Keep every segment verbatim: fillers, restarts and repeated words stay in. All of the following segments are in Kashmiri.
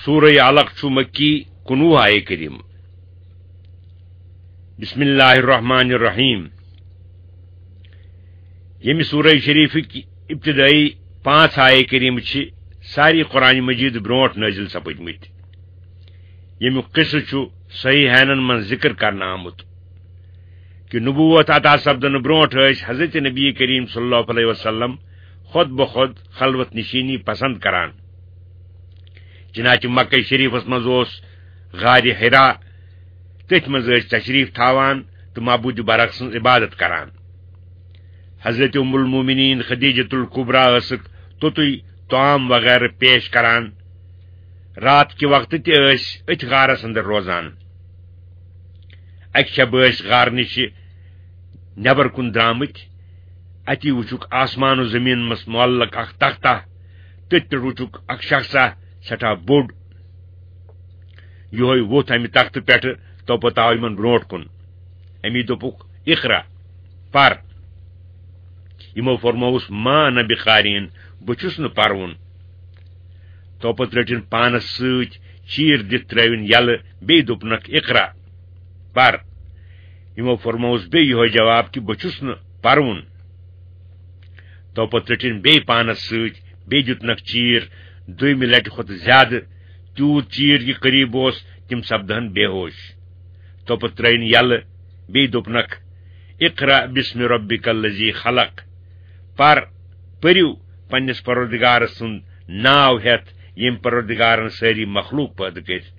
سورہ علق چھُ مکی، کُنوُہ آیے کریم۔ بسم اللہ الرحمن الرحیم۔ ییٚمہِ سورہ شریفٕکۍ ابتدٲیی پانٛژھ آیے کریم چھِ ساری قرآن مجید برونٛٹھ نٲزِل سپٕدمٕتۍ، ییٚمیُک قصہٕ چھُ صحیحینن منٛز ذکر کرنہٕ آمُت۔ کہ نبوت عطا سپدنہٕ برونٹھ ٲسۍ حضرت نبی کریم صلی اللہ علیہ وسلم خود بخود خلوت نشینی پسند کران۔ چنانچہ مکہ شریفس منٛز اوس غار حرا، تٔتھۍ منٛز ٲسۍ تشریف تھاوان تہٕ معبود برحق سٕنٛز عبادت کران۔ حضرت ام المومنین خدیجۃ الکبریٰ ٲسٕکھ توٚتُے طعام وغیرہ پیش کران۔ رات کہِ وقتہٕ تہِ ٲسۍ أتھۍ غارس اندر روزان۔ اکہِ شبہٕ ٲسۍ غارٕ نِشہِ نٮ۪بر کُن درٛامٕتۍ۔ اتی وُچھُکھ آسمان و زٔمیٖن منٛز معلق اکھ تختہ۔ تٔتھۍ پٮ۪ٹھ وُچھُکھ اکھ شخصا سٮ۪ٹھاہ بوٚڑ۔ یِہوے ووٚتھ امہِ تختہٕ پٮ۪ٹھٕ، تو پتہٕ آو یِمن برونٛٹھ کُن۔ امی دوٚپُکھ، "اقرا، پر۔" یِمو فرمووُس، "ما انا بقارئین، بہٕ چھُس نہٕ پرُن۔" تو پتہٕ رٔٹِن پانس سۭتۍ چیٖر دِتھ ترٲوِن یلہٕ، بیٚیہِ دوٚپنکھ، "اقرا، پر۔" یِمو فرمووُس بیٚیہِ یِہوے جواب کہِ، "بہٕ چھُس نہٕ پرُن۔" تو پتہٕ رٔٹِن بیٚیہِ پانس سۭتۍ، بیٚیہِ دیُتنکھ چیٖر، دوٚیمہِ لٹہِ کھۄتہٕ زیادٕ، تیوٗت چیٖر یہِ قریب اوس، تِم سپدہن بے ہوش۔ تو پتہٕ ترٲوِن یلہٕ، بیٚیہِ دوٚپنکھ، "اقرا باسم ربک الذی خلق"، پر، پٔرِو پننِس پروردگار سُنٛد ناو ہٮ۪تھ، ییٚمۍ پروردگارن سٲری مخلوق پٲدٕ کٔرۍ۔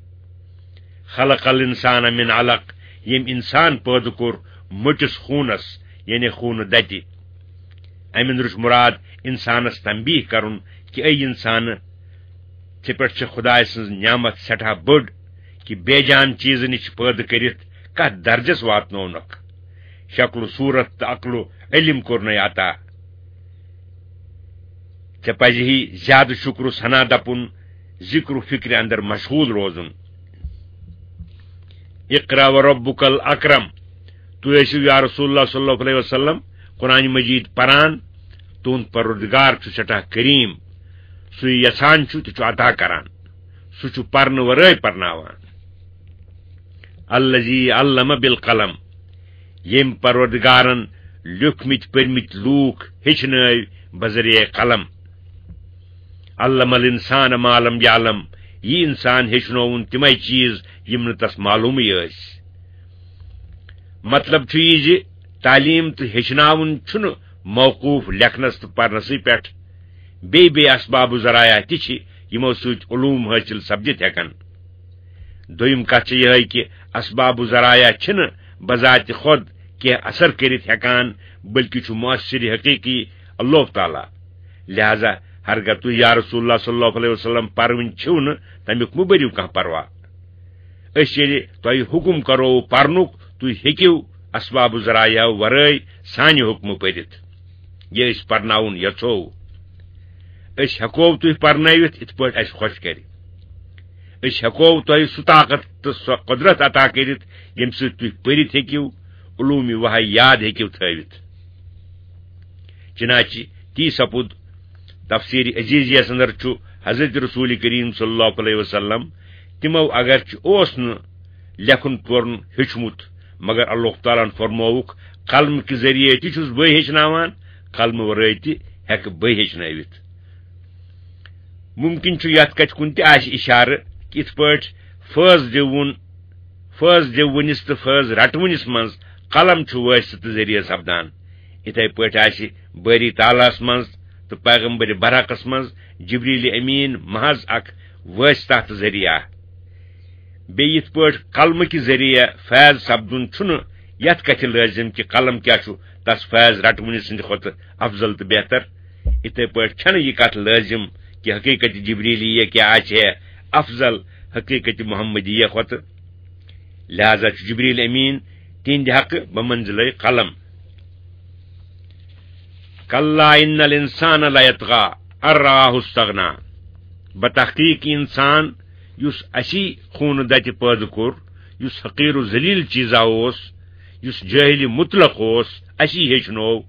"خلق الانسان من علق"، ییٚمۍ انسان پٲدٕ کوٚر مٔٹِس خوٗنس، یعنی خوٗنہٕ دتہِ۔ امہِ اندرٕ چھُ مراد انسانس تنبیہ کرُن کہِ اے انسانہٕ، ژےٚ پٮ۪ٹھ چھِ خدایہِ سٕنٛز نعمت سٮ۪ٹھاہ بٔڑ کہِ بے جان چیٖزٕ نِش پٲدٕ کٔرِتھ کتھ درجس واتنوونکھ۔ شکل و صورت تہٕ عقل و علم کوٚرنے عطا۔ ژےٚ پزِ ہی زیادٕ شکر و ثنا دپُن، ذکر و فکرِ اندر مشغول روزُن۔ "اقرا و ربک الاکرم"، تُہۍ ٲسِو یا رسول اللہ صلی اللہ علیہ وسلم قرآن مجید پران، تُہُنٛد پروردگار چھُ سٮ۪ٹھاہ کریم، سُہ یژھان چھُ تہِ چھُ عطا کران، سُہ چھُ پرنہٕ ورٲے پرناوان۔ "الذی علم بالقلم"، ییٚمۍ پروردگارن لیوٗکھمٕتۍ پٔرمٕتۍ لوٗکھ ہیٚچھنٲوۍ بذریعہ قلم۔ "علم الانسان ما لم یعلم"، یہِ انسان ہیٚچھنووُن تِمے چیٖز یِم نہٕ تس معلومٕے ٲسۍ۔ مطلب چھُ یہِ زِ تعلیٖم تہٕ ہیٚچھناوُن چھُنہٕ موقوٗف لیکھنس تہٕ پرنسٕے پٮ۪ٹھ، بیٚیہِ بیٚیہِ اسباب و ذرایع تہِ چھِ یِمو سۭتۍ علوم حٲصِل سپدِتھ ہٮ۪کن۔ دوٚیِم کتھ چھِ یِہے کہِ اسباب و ذرایع چھِنہٕ بذات خود کینٛہہ اثر کٔرِتھ ہٮ۪کان، بلکہِ چھُ مؤثر حقیقی اللہ تعالیٰ۔ لہذا ہرگاہ تُہۍ یا رسول اللہ صلی اللہ علیہ وسلم پرٕوٕنۍ چھِو نہٕ، تمیُک مہٕ بٔرِو کانٛہہ پرواہ۔ أسۍ ییٚلہِ تۄہہِ حُکم کرو پرنُک، تُہۍ ہیٚکِو اسباب و ذرایع ورٲے سانہِ حُکمہٕ پٔرِتھ۔ یہِ أسۍ پرناوُن یژھو، أسۍ ہٮ۪کو تُہۍ پرنٲوِتھ یِتھ پٲٹھۍ اَسہِ خۄش کرِ۔ أسۍ ہٮ۪کو تۄہہِ سُہ طاقت تہٕ سۄ قۄدرت عطا کٔرِتھ، ییٚمہِ سۭتۍ تُہۍ پٔرِتھ ہیٚکِو، علوٗمِ وحی یاد ہیٚکِو تھٲوِتھ۔ چنانچہ تی سپُد تفسیر عزیزیس اندر چھُ حضرت رسول کریم صلی اللہ علیہ وسلم تِمو اگرچہ اوس نہٕ لیکھُن پورُن ہیوٚچھمُت، مگر اللہ تعالیٰ ہن فرمووُکھ، "قلم کہِ ذٔریعے تہِ چھُس بٕے ہیٚچھناوان، قلمہٕ ورٲے تہِ ہٮ۪کہٕ بٕے ہیٚچھنٲوِتھ۔" ممکن چھُ یتھ کتھِ کُن تہِ آسہِ اشارٕ کہِ یِتھ پٲٹھۍ فٲض دِوُن، فٲض دِوُنِس تہٕ فٲض رٹوُنِس منٛز قلم چھُ وٲسطہٕ تہٕ ذٔریعہٕ سپدان، یِتھے پٲٹھۍ آسہِ بٲری تعالیٰہس منٛز تہٕ پیغمبر برحقس منٛز جبریل امین محض اکھ وٲسطہ تہٕ ذٔریعہ۔ بیٚیہِ یِتھ پٲٹھۍ قلمہٕ کہِ ذٔریعہٕ فیض سپدُن چھُنہٕ یتھ کتھِ لٲزم کہِ قلم کیٛاہ چھُ تس فیض رٹوٕنہِ سٕنٛدِ کھۄتہٕ افضل تہٕ بہتر، یِتھے پٲٹھۍ چھنہٕ یہِ کتھ لٲزم کہِ حقیقت جبریلیہ کیٛاہ آسہِ ہے افضل حقیقت محمدیہ کھۄتہٕ۔ لہذا چھُ جبریل امین تِہنٛدِ حقہٕ بمنزلے قلم۔ "کلا ان الانسان لیطغی ان رآہ استغنی"، بتحقیق انسان یُس اسی خون دتہِ پٲدٕ کوٚر، یُس حقیر و ذلیل چیزا اوس، یُس جاہل مطلق اوس، اسی ہیٚچھنوو،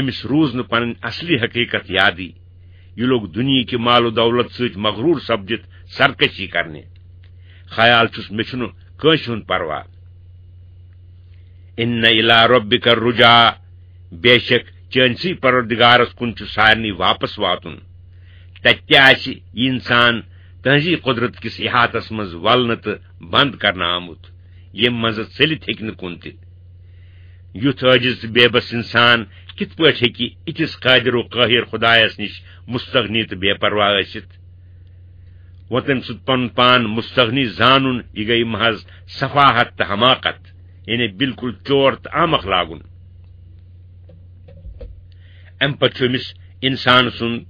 أمِس روٗز نہٕ پنٕنۍ اصلی حقیقت یادٕے۔ یہِ لوٚگ دُنیہٕکہِ مال و دولت سۭتۍ مغروٗر سپدِتھ سرکشی کرنہِ۔ خیال چھُس، مےٚ چھُنہٕ کٲنٛسہِ ہُنٛد پرواہ۔ ان الی ربک الرجا، بے شک چٲنسٕے پروردگارس کُن چھُ سارنٕے واپس واتُن۔ تتہِ تہِ آسہِ یہِ انسان تہنٛزی قدرت کِس احاطس منٛز ولنہٕ تہٕ بند کرنہٕ آمُت، ییٚمہِ منٛزٕ ژٔلِتھ ہیٚکہِ نہٕ کُن تہِ۔ یُتھ عٲجز تہٕ بے بس انسان کِتھ پٲٹھۍ ہیٚکہِ یِتھِس قٲدر و قٲہر خدایس نِش مستغنی تہٕ بے پرواہ ٲسِتھ؟ وۄنۍ تٔمۍ سُنٛد پنُن پان مستغنی زانُن، یہِ گٔیہِ محض سفاہت تہٕ حماقت، یعنی بالکل چور تہٕ احمق لاگُن۔ امہِ پتہٕ چھُ أمِس انسان سُنٛد،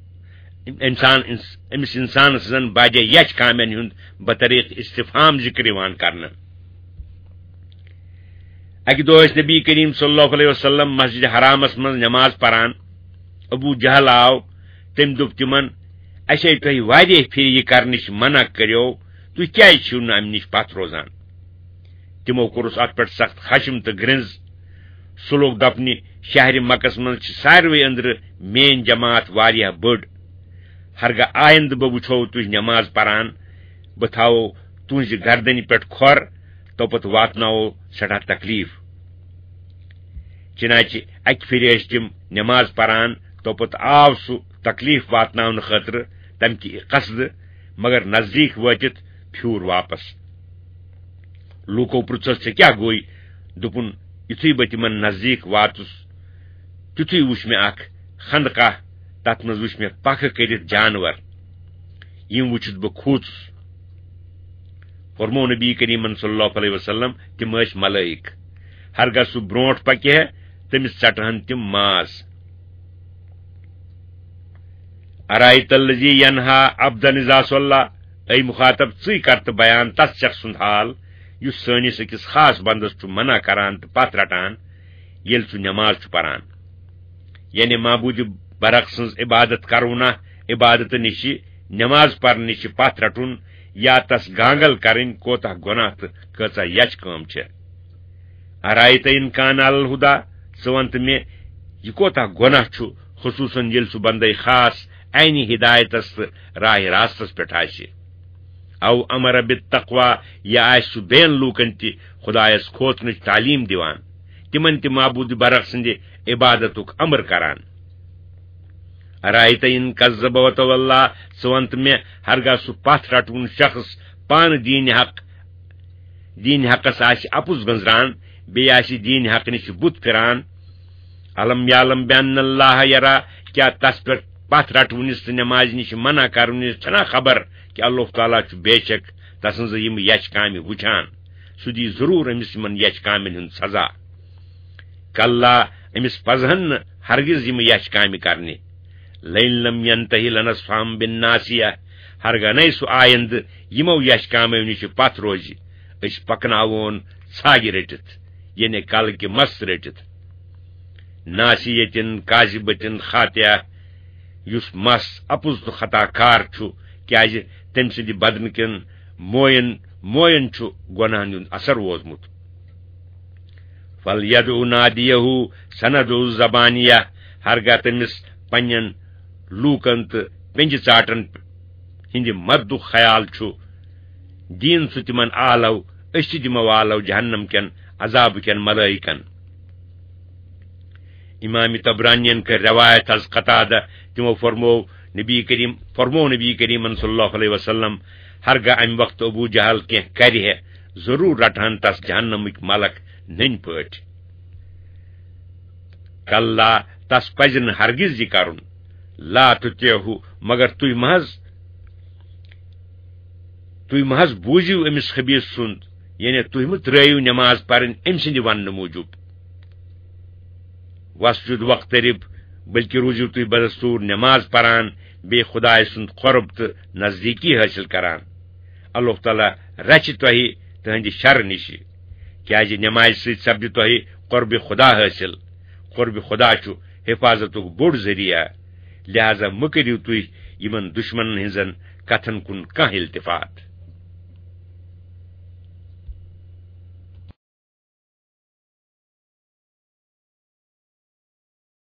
انسان، أمِس انسان سٕنٛزن باجے یچھ کامٮ۪ن ہُنٛد بطریق استفہام ذکر یِوان کرنہٕ۔ اکہِ دۄہ ٲسۍ نبی کریم صلی اللہ علیہ وسلم مسجد حرامس منٛز نماز پران۔ ابو جہل آو، تٔمۍ دوٚپ تِمن، "اسے تۄہہِ واریاہ پھِرِ یہِ کرنٕچ منع کریو، تُہۍ کیازِ چھِو نہٕ امہِ نِش پتھ روزان؟" تِمو کوٚرُس اتھ پٮ۪ٹھ سخت خشم تہٕ گرنز۔ سُہ لوٚگ دپنہِ، "شہرِ مکس منٛز چھِ ساروٕے أنٛدرٕ میٲنۍ جماعت واریاہ بٔڑ۔ ہرگاہ آیندٕ بہٕ وٕچھو تُہۍ نماز پران، بہٕ تھاوو تُہنٛزِ گردنہِ پٮ۪ٹھ کھۄر، توپتہٕ واتناوو سٮ۪ٹھاہ تکلیف۔" چنانچہ اکہِ پھِرِ ٲسۍ تِم نماز پران، توپتہٕ آو سُہ تکلیف واتناونہٕ خٲطرٕ تمہِ کہِ قصدٕ، مگر نزدیک وٲتِتھ پھیوٗر واپس۔ لوٗکو پرُژھس، "ژےٚ کیٛاہ گوٚے؟" دوٚپُن، "یُتھُے بہٕ تِمن نزدیٖک واتُس، تیُتھُے وُچھ مےٚ اکھ خندقاہ، تتھ منٛز وُچھ مےٚ پکھٕ کٔرِتھ جانور۔ یِم وُچھِتھ بہٕ کھوٗژُس۔" فرموو نبی کریمن صلی اللہ علیہ وسلم، "تِم ٲسۍ ملائک۔ ہرگاہ سُہ برونٛٹھ پکہِ ہے، تٔمِس ژٹہٕ ہن تِم ماز۔" "ارایت الذی ینہا عبدا اذا صلی"، اے مخاطب، ژٕے کر تہٕ بیان تس شخص سُنٛد حال، یُس سٲنِس أکِس خاص بندس چھُ منع کران تہٕ پتھ رٹان، ییٚلہِ سُہ نماز چھُ پران۔ یعنی معبود برق سٕنٛز عبادت کرُن، عبادت نِش نماز پرنہٕ نِش پتھ رٹُن یا تس گانگل کرٕنۍ کوتاہ گۄناہ تہٕ کۭژاہ یچھ کٲم چھےٚ۔ "ارایت ان کان علی الہدی"، ژٕ وَن تہٕ مےٚ، یہِ کوتاہ گۄناہ چھُ، خصوصاً ییٚلہِ سُہ بندے خاص عینِ ہدایتس تہٕ راہ راستس پٮ۪ٹھ آسہِ۔ "او امر بالتقوی"، یا آسہِ سُہ بیٚین لوٗکن تہِ خدایس کھوژنٕچ تعلیٖم دِوان، تِمن تہِ معبود برق سٕنٛدِ عبادتُک امر کران۔ "ارایت ان کذب وتولی"، ژٕ وَن تہٕ مےٚ، ہرگاہ سُہ پتھ رٹوُن شخص پانہٕ دیٖنِ حق، دیٖنِ حقس آسہِ اپُز گٔنزران، بیٚیہِ آسہِ دیٖنِ حق نِش بُتھ پھِران۔ "الم یعلم بان اللہ یرا"، کیٛاہ تس پٮ۪ٹھ پتھ رٹوٕنِس تہٕ نمازِ نِش منع کرنٕچ چھنا خبر کہِ اللہ تعالیٰ چھُ بے شک تسٕنٛزٕ یِم یچھ کامہِ وُچھان؟ سُہ دی ضروٗر أمِس یِمن یچھ کامٮ۪ن ہُنٛد سزا۔ کلا، أمِس پزہن نہٕ ہرگز یِم یچھ کامہِ کرنہِ۔ "لئن لم ینتہی لنسفعا بالناصیہ"، ہرگاہ نَے سُہ آیندٕ یِمو یچھ کامیو نِش پتھ روزِ، أسۍ پکناوون ژھاگہِ رٔٹِتھ، یعنی کلہٕ کہِ مس رٔٹِتھ۔ "ناصیتن کاذبتن خاطیہ"، یُس مس اپُز تہٕ خطا کار چھُ، کیازِ تٔمۍ سٕنٛدِ بدنہٕ کٮ۪ن موین، موین چھُ گۄناہن ہُنٛد اثر ووتمُت۔ "فلیدع نادیہ سندع الزبانیہ"، ہرگاہ تٔمِس پننٮ۪ن لوٗکن تہٕ پنجہِ ژاٹن ہٕنٛدِ مددُک خیال چھُ، دِیِن سُہ تِمن آلو، أسۍ تہِ دِمو آلو جہنم کٮ۪ن عذابہٕ کٮ۪ن ملائکن۔ امام طبرانین کٔر روایت از قتادہ، تِمو فرموو نبی کریم، فرموو نبی کریمن صلی اللہ علیہ وسلم، ہرگاہ امہِ وقتہٕ ابو جہل کینٛہہ کرِ ہے، ضروٗر رٹہن تس جہنمٕکۍ ملک نٔنۍ پٲٹھۍ۔ کلا، تس پزِ نہٕ ہرگز یہِ کرُن۔ لا تطعہ، مگر تُہۍ مہ حظ، تُہۍ مہ حظ بوٗزِو أمِس خبیٖث سُنٛد، یعنی تُہۍ مہ ترٲیِو نماز پرٕنۍ أمۍ سٕنٛدِ وننہٕ موٗجوٗب۔ واسجد واقترب، بلکہ روٗزِو تُہۍ بدستوٗر نماز پران، بیٚیہِ خدایہِ سُنٛد قرب تہٕ نزدیٖکی حٲصِل کران۔ اللہ تعالیٰ رچھِ تۄہہِ تُہنٛدِ شرٕ نِشہِ، کیازِ نمازِ سۭتۍ سپدِ تۄہہِ قربِ خدا حٲصِل۔ قربِ خدا چھُ حفاظتُک بوٚڑ ذٔریعہٕ، لہذا مہ کٔرِو تُہۍ یِمن دُشمنن ہٕنٛزن کتھن کُن کانٛہہ التفات۔